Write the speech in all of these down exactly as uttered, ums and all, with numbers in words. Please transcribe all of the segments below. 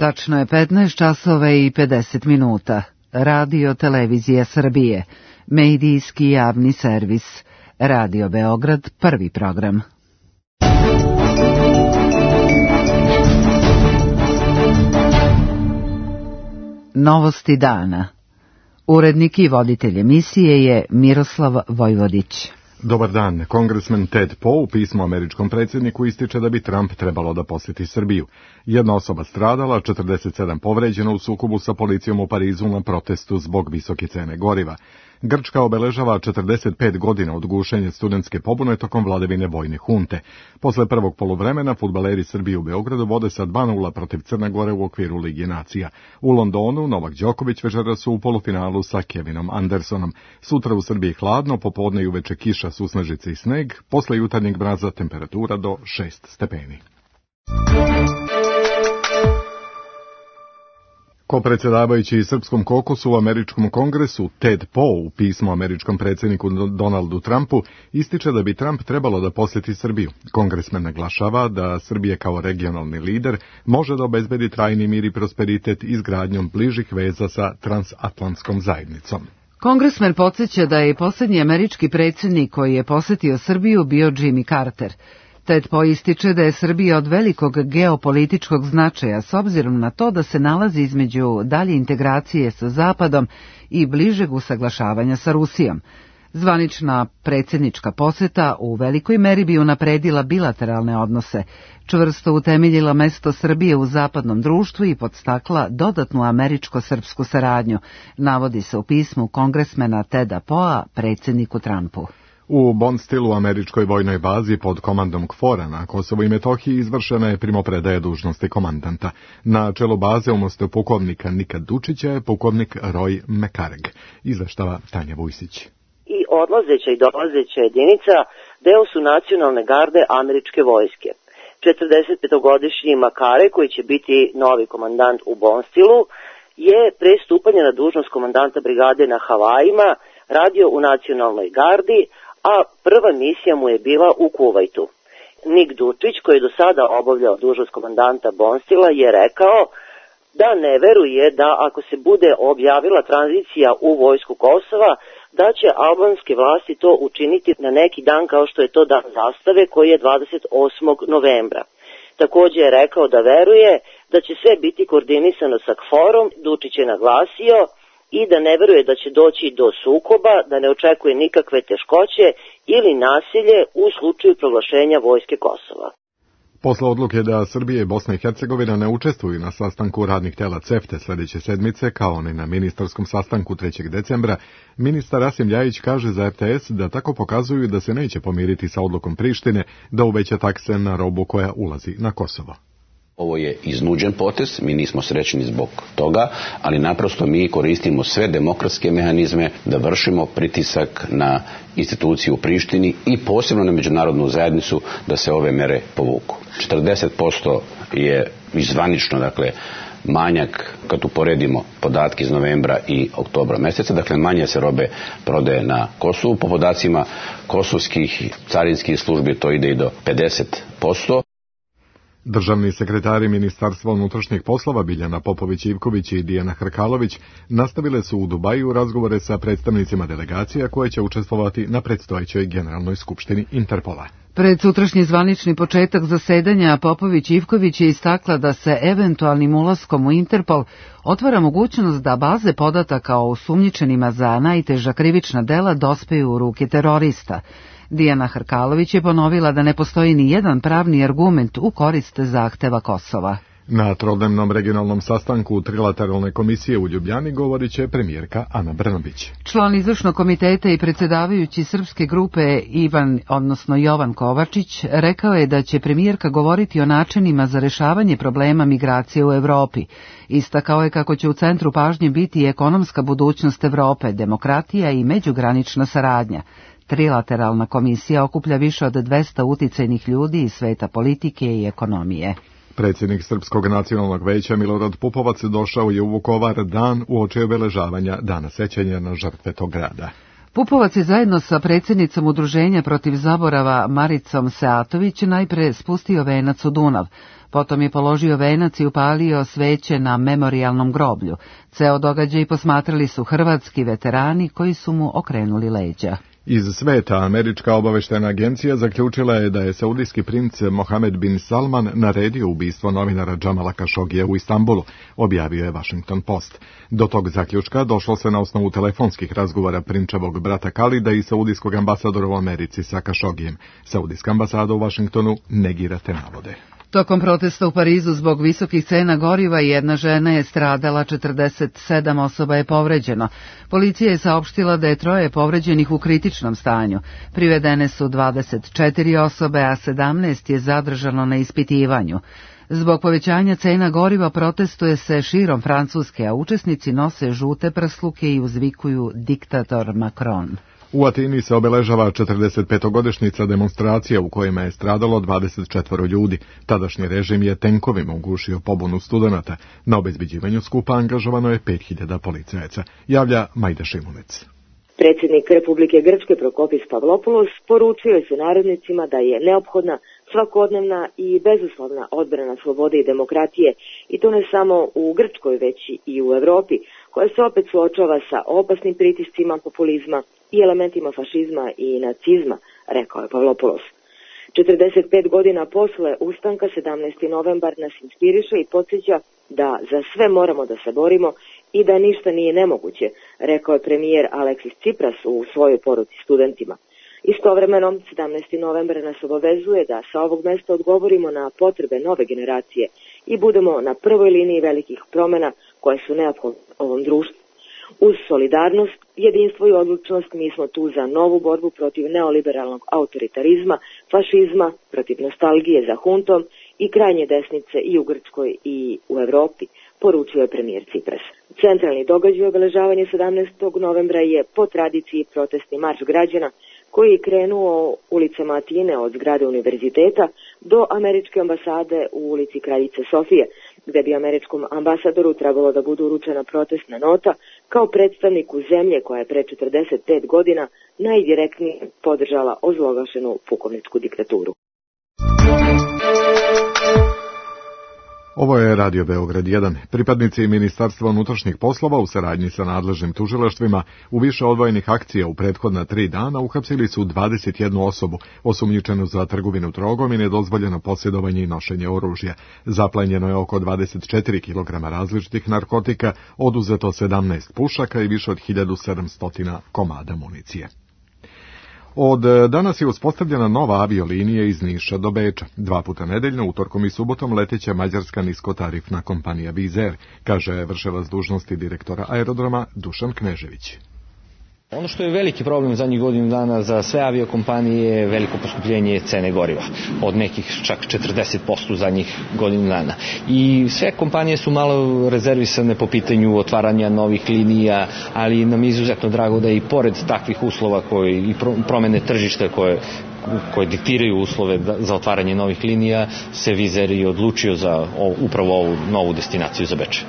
Tačno je petnaest časova i pedeset minuta. Radio Televizija Srbije, medijski javni servis. Radio Beograd, prvi program. Novosti dana. Urednik i voditelj emisije je Miroslav Vojvodić. Dobar dan. Kongresmen Ted Poe u pismu američkom predsjedniku ističe da bi Trump trebalo da posjeti Srbiju. Jedna osoba stradala, četrdeset sedam povređeno u sukobu sa policijom u Parizu na protestu zbog visoke cene goriva. Grčka obeležava četrdeset pet godina od gušenja studentske pobune tokom vladavine vojne hunte. Posle prvog poluvremena fudbaleri Srbije u Beogradu vode sa dva nula protiv Crne Gore u okviru Lige nacija. U Londonu Novak Đoković večeras su u polufinalu sa Kevinom Andersonom. Sutra u Srbiji hladno, popodne i uveče kiša, susnežice i sneg, posle jutarnjeg mraza temperatura do šest stepeni. Kopredsjedavajući Srpskom kokusu u američkom kongresu, Ted Poe u pismu američkom predsjedniku Donaldu Trumpu ističe da bi Trump trebalo da posjeti Srbiju. Kongresmen naglašava da Srbija kao regionalni lider može da obezbedi trajni mir i prosperitet izgradnjom bližih veza sa transatlantskom zajednicom. Kongresmen podsjeća da je posljednji američki predsjednik koji je posjetio Srbiju bio Jimmy Carter. Ted Poe ističe da je Srbija od velikog geopolitičkog značaja s obzirom na to da se nalazi između dalje integracije sa Zapadom i bližeg usaglašavanja sa Rusijom. Zvanična predsjednička posjeta u velikoj meri bi unapredila bilateralne odnose, čvrsto utemeljila mesto Srbije u zapadnom društvu i podstakla dodatnu američko-srpsku saradnju, navodi se u pismu kongresmena Teda Poea predsjedniku Trumpu. U Bonstilu, američkoj vojnoj bazi pod komandom KFOR-a na Kosovu i Metohiji, izvršena je primopredaja dužnosti komandanta. Na čelu baze umesto pukovnika Nika Dučića je pukovnik Roy McCarrig, izveštava Tanja Vujsić. I odlazeća i dolazeća jedinica deo su nacionalne garde američke vojske. četrdesetpetogodišnji Makare, koji će biti novi komandant u Bonstilu, je pre stupanja na dužnost komandanta brigade na Havajima radio u nacionalnoj gardi, a prva misija mu je bila u Kuvajtu. Nik Dučić, koji je do sada obavljao dužnost komandanta Bonstila, je rekao da ne veruje da ako se bude objavila tranzicija u vojsku Kosova, da će albanske vlasti to učiniti na neki dan kao što je to dan zastave, koji je dvadeset osmog novembra. Također je rekao da veruje da će sve biti koordinisano sa KFOR-om. Dučić je naglasio i da ne veruje da će doći do sukoba, da ne očekuje nikakve teškoće ili nasilje u slučaju proglašenja vojske Kosova. Posle odluke da Srbije i Bosna i Hercegovina ne učestvuju na sastanku radnih tela CEFTA sljedeće sedmice, kao ni na ministarskom sastanku trećeg decembra, ministar Rasim Ljajić kaže za R T S da tako pokazuju da se neće pomiriti sa odlukom Prištine da uveća takse na robu koja ulazi na Kosovo. Ovo je iznuđen potez, mi nismo srećni zbog toga, ali naprosto mi koristimo sve demokratske mehanizme da vršimo pritisak na instituciju u Prištini i posebno na međunarodnu zajednicu da se ove mere povuku. četrdeset posto je izvanično, dakle, manjak kad uporedimo podatke iz novembra i oktobra mjeseca, dakle manje se robe prodaje na Kosovu. Po podacima kosovskih carinskih službi to ide i do pedeset posto. Državni sekretari Ministarstva unutrašnjih poslova Biljana Popović-Ivković i Dijana Hrkalović nastavile su u Dubaju razgovore sa predstavnicima delegacija koje će učestvovati na predstojećoj Generalnoj skupštini Interpola. Pred sutrašnji zvanični početak zasedanja Popović-Ivković je istakla da se eventualnim ulaskom u Interpol otvara mogućnost da baze podataka o osumnjičenima za najteža krivična dela dospeju u ruke terorista. Dijana Hrkalović je ponovila da ne postoji ni jedan pravni argument u korist zahteva Kosova. Na trodnevnom regionalnom sastanku Trilateralne komisije u Ljubljani govorit će premijerka Ana Brnabić. Član izvršnog komiteta i predsjedavajući srpske grupe Ivan, odnosno Jovan Kovačić, rekao je da će premijerka govoriti o načinima za rešavanje problema migracije u Evropi. Istakao je kako će u centru pažnje biti ekonomska budućnost Evrope, demokratija i međugranična saradnja. Trilateralna komisija okuplja više od dvesta uticajnih ljudi iz sveta politike i ekonomije. Predsjednik Srpskog nacionalnog veća Milorad Pupovac došao je u Vukovar dan uoči obeležavanja Dana sećanja na žrtve tog grada. Pupovac je zajedno sa predsjednicom Udruženja protiv zaborava Maricom Seatović najpre spustio venac u Dunav. Potom je položio venac i upalio sveće na memorijalnom groblju. Ceo događaj posmatrali su hrvatski veterani koji su mu okrenuli leđa. Iz sveta američka obaveštajna agencija zaključila je da je saudijski princ Mohamed bin Salman naredio ubistvo novinara Džamala Kašogija u Istanbulu, objavio je Washington Post. Do tog zaključka došlo se na osnovu telefonskih razgovora prinčevog brata Kalida i saudijskog ambasadora u Americi sa Kašogijem. Saudijska ambasada u Washingtonu negira te navode. Tokom protesta u Parizu zbog visokih cena goriva jedna žena je stradala, četrdeset sedam osoba je povređeno. Policija je saopštila da je troje povređenih u kritičnom stanju. Privedene su dvadeset četiri osobe, a sedamnaest je zadržano na ispitivanju. Zbog povećanja cena goriva protestuje se širom Francuske, a učesnici nose žute prsluke i uzvikuju diktator Macron. U Atini se obeležava četrdesetpetogodišnjica demonstracija u kojima je stradalo dvadeset četvoro ljudi. Tadašnji režim je tenkovima ugušio pobunu studenata. Na obezbeđivanju skupa angažovano je pet hiljada policajaca, javlja Majda Šimunec. Predsjednik Republike Grčke Prokopis Pavlopoulos poručio je sunarodnicima da je neophodna svakodnevna i bezuslovna odbrana slobode i demokratije, i to ne samo u Grčkoj, već i u Evropi, koja se opet suočava sa opasnim pritiscima populizma i elementima fašizma i nacizma, rekao je Pavlopoulos. četrdeset pet godina posle ustanka sedamnaesti novembar nas inspiriše i podsjeća da za sve moramo da se borimo i da ništa nije nemoguće, rekao je premijer Aleksis Tsipras u svojoj poruci studentima. Istovremeno, sedamnaesti novembar nas obavezuje da sa ovog mesta odgovorimo na potrebe nove generacije i budemo na prvoj liniji velikih promjena koje su neophodne ovom društvu. Uz solidarnost, jedinstvo i odlučnost mi smo tu za novu borbu protiv neoliberalnog autoritarizma, fašizma, protiv nostalgije za huntom i krajnje desnice i u Grčkoj i u Evropi, poručio je premijer Tsipras. Centralni događaj obeležavanja sedamnaestog novembra je po tradiciji protestni marš građana koji je krenuo ulicama Atine od zgrade univerziteta do američke ambasade u ulici Kraljice Sofije, gde bi američkom ambasadoru trebalo da bude uručena protestna nota kao predstavniku zemlje koja je pre četrdeset pet godina najdirektnije podržala ozloglašenu pukovničku diktaturu. Ovo je Radio Beograd jedan. Pripadnici Ministarstva unutrašnjih poslova u saradnji sa nadležnim tužilaštvima u više odvojenih akcija u prethodna tri dana uhapsili su dvadeset jednu osobu, osumnjičenu za trgovinu drogom i nedozvoljeno posjedovanje i nošenje oružja. Zaplenjeno je oko dvadeset četiri kilograma različitih narkotika, oduzeto sedamnaest pušaka i više od hiljadu sedamsto komada municije. Od danas je uspostavljena nova aviolinija iz Niša do Beča. Dva puta nedeljno, utorkom i subotom, leteća mađarska niskotarifna kompanija Wizz Air, kaže vršilac dužnosti direktora aerodroma Dušan Knežević. Ono što je veliki problem zadnjih godinu dana za sve aviokompanije je veliko poskupljenje cene goriva, od nekih čak četrdeset posto zadnjih godinu dana. I sve kompanije su malo rezervisane po pitanju otvaranja novih linija, ali nam je izuzetno drago da i pored takvih uslova koje, i promene tržišta koje koje diktiraju uslove za otvaranje novih linija, se Wizz Air i odlučio za upravo ovu novu destinaciju za Beč.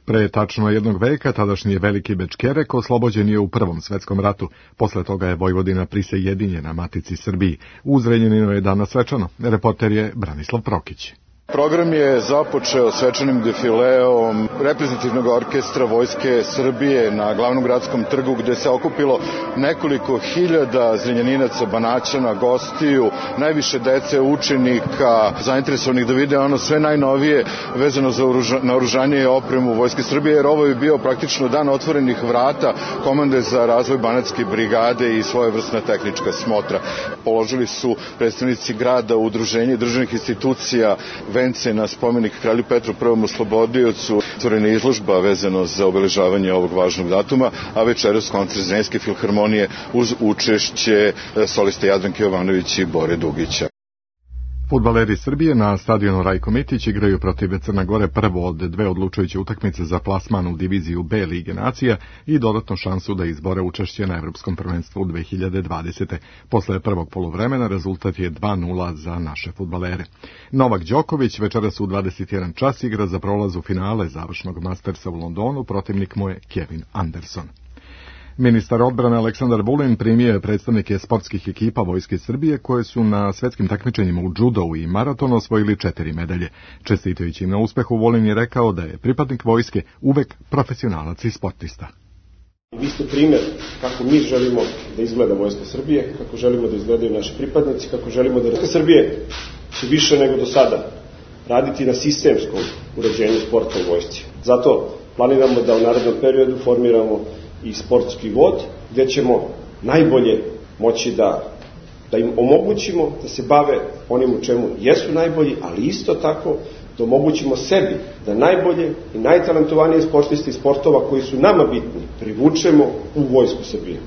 Pre tačno jednog veka tadašnji veliki Bečkerek oslobođen je u Prvom svetskom ratu. Posle toga je Vojvodina prisajedinjena Matici Srbiji. U Zrenjaninu je danas svečano. Reporter je Branislav Prokić. Program je započeo svečanim defileom reprezentativnog orkestra Vojske Srbije na glavnom gradskom trgu, gde se okupilo nekoliko hiljada Zrenjaninaca, Banaćana, gostiju, najviše dece, učenika, zainteresovanih da vide ono sve najnovije vezano za naoružanje i opremu Vojske Srbije, jer ovo je bio praktično dan otvorenih vrata komande za razvoj Banatske brigade i svojevrsna tehnička smotra. Položili su predstavnici grada, udruženja i državnih institucija vence na spomenik kralju Petru Prvom oslobodiocu, otvorena izložba vezano za obeležavanje ovog važnog datuma, a večeras koncert Zrenjanske filharmonije uz učešće soliste Jadranke Jovanović i Bore Dugića. Fudbaleri Srbije na stadionu Rajko Mitić igraju protiv Crne Gore prvo od dve odlučujuće utakmice za plasman u diviziju B Lige nacija i dodatnu šansu da izbore učešće na Evropskom prvenstvu u dve hiljade dvadesete. Posle prvog poluvremena rezultat je dva nula za naše fudbalere. Novak Đoković večeras u dvadeset jedan čas igra za prolaz u finale završnog Mastersa u Londonu, protivnik mu je Kevin Anderson. Ministar odbrane Aleksandar Vulin primio je predstavnike sportskih ekipa Vojske Srbije koje su na svetskim takmičenjima u džudovu i maratonu osvojili četiri medalje. Čestitajući im na uspehu, Vulin je rekao da je pripadnik vojske uvek profesionalac i sportista. Vi ste primjer kako mi želimo da izgleda Vojska Srbije, kako želimo da izgledaju naši pripadnici, kako želimo da Vojska Srbije će više nego do sada raditi na sistemskom uređenju sporta u vojsci. Zato planiramo da u narednom periodu formiramo i sportski vod, gdje ćemo najbolje moći da, da im omogućimo da se bave onim u čemu jesu najbolji, ali isto tako da omogućimo sebi da najbolje i najtalentovanije sportiste iz sportova koji su nama bitni privučemo u Vojsku Srbije.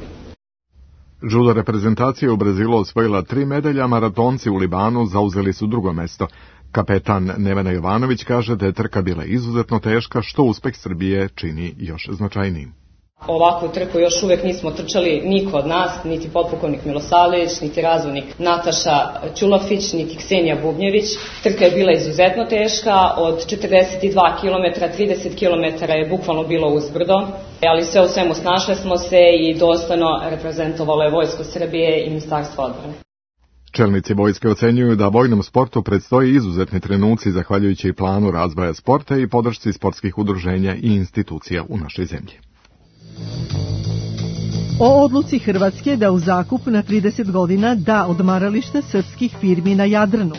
Judo reprezentacija u Brazilu osvojila tri medalja, maratonci u Libanu zauzeli su drugo mesto. Kapetan Nevena Jovanović kaže da je trka bila izuzetno teška, što uspeh Srbije čini još značajnijim. Ovakvu trku još uvek nismo trčali niko od nas, niti potpukovnik Milosavljević, niti razvodnik Nataša Ćulafić, niti Ksenija Bubnjević. Trka je bila izuzetno teška, od četrdeset dva kilometra, trideset kilometara je bukvalno bilo uzbrdo, ali sve u svemu snašle smo se i dostojno reprezentovalo je Vojsko Srbije i Ministarstvo odbrane. Čelnici vojske ocenjuju da vojnom sportu predstoji izuzetni trenuci zahvaljujući planu razvoja sporta i podršci sportskih udruženja i institucija u našoj zemlji. O odluci Hrvatske da u zakup na trideset godina da odmarališta srpskih firmi na Jadranu.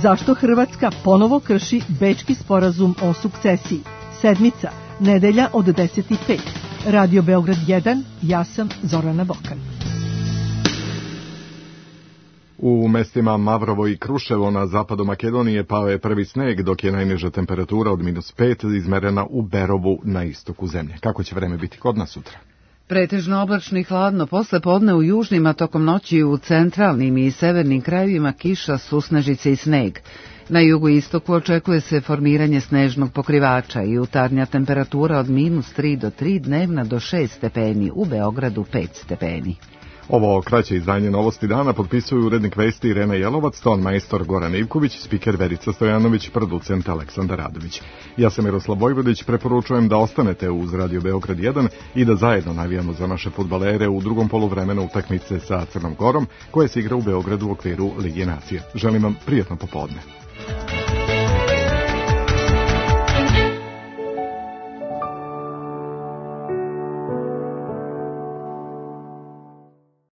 Zašto Hrvatska ponovo krši Bečki sporazum o sukcesiji? Sedmica, nedelja od deset i pet. Radio Beograd jedan, ja sam Zorana Bokan. U mestima Mavrovo i Kruševo na zapadu Makedonije pao je prvi sneg, dok je najniža temperatura od minus pet izmerena u Berovu na istoku zemlje. Kako će vreme biti kod nas sutra? Pretežno oblačno i hladno, posle podne u južnim, a tokom noći u centralnim i severnim krajevima kiša, susnežice i sneg. Na jugu istoku očekuje se formiranje snežnog pokrivača i jutarnja temperatura od minus tri do tri, dnevna do šest stepeni, u Beogradu pet stepeni. Ovo kraće izdanje Novosti dana potpisuju urednik vesti Irena Jelovac, ton majstor Goran Ivković, spiker Verica Stojanović, producent Aleksandar Radović. Ja sam Miroslav Vojvodić, preporučujem da ostanete uz Radio Beograd jedan i da zajedno navijamo za naše fudbalere u drugom poluvremenu utakmice sa Crnom Gorom, koje se igra u Beogradu u okviru Lige nacija. Želim vam prijatno popodne.